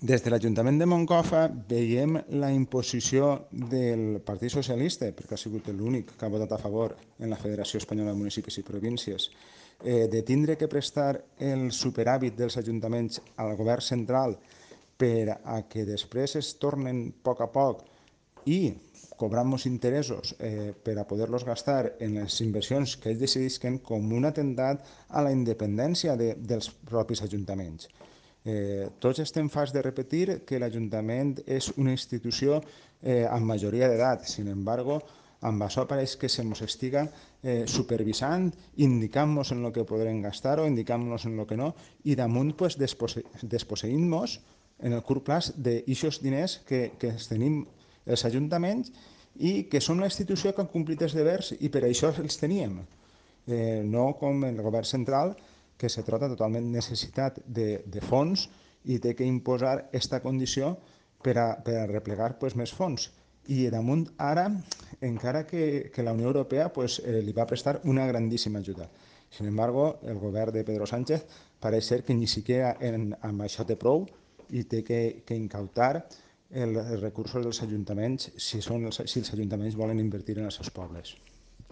Des de l'Ajuntament de Moncofa veiem la imposició del Partit Socialista, perquè ha sigut l'únic que ha votat a favor en la Federació Espanyola de Municipis i Províncies, de tindre que prestar el superàvit dels ajuntaments al govern central per a que després es tornen a poc i cobrant-nos interessos per a poder-los gastar en les inversions que ells decidisquen com un atemptat a la independència dels propis ajuntaments. Tots estem farts de repetir que l'Ajuntament és una institució amb majoria d'edat. Sin embargo, amb això pareix que se ens estiga supervisant, indicant-nos en el que podrem gastar o indicant-nos en el que no, i damunt pues, desposseint-nos en el curt plaç d'aixos diners que tenim els ajuntaments i que són una institució que han complit els devers i per això els teníem. No com el govern central, que se trota totalment necessitat de fons i té que imposar aquesta condició per a replegar pues, més fons. I damunt ara, encara que la Unió Europea pues, li va prestar una grandíssima ajuda. Sin embargo, el govern de Pedro Sánchez pareix ser que ni siquiera amb això té prou i té que incautar els recursos dels ajuntaments si els ajuntaments volen invertir en els seus pobles.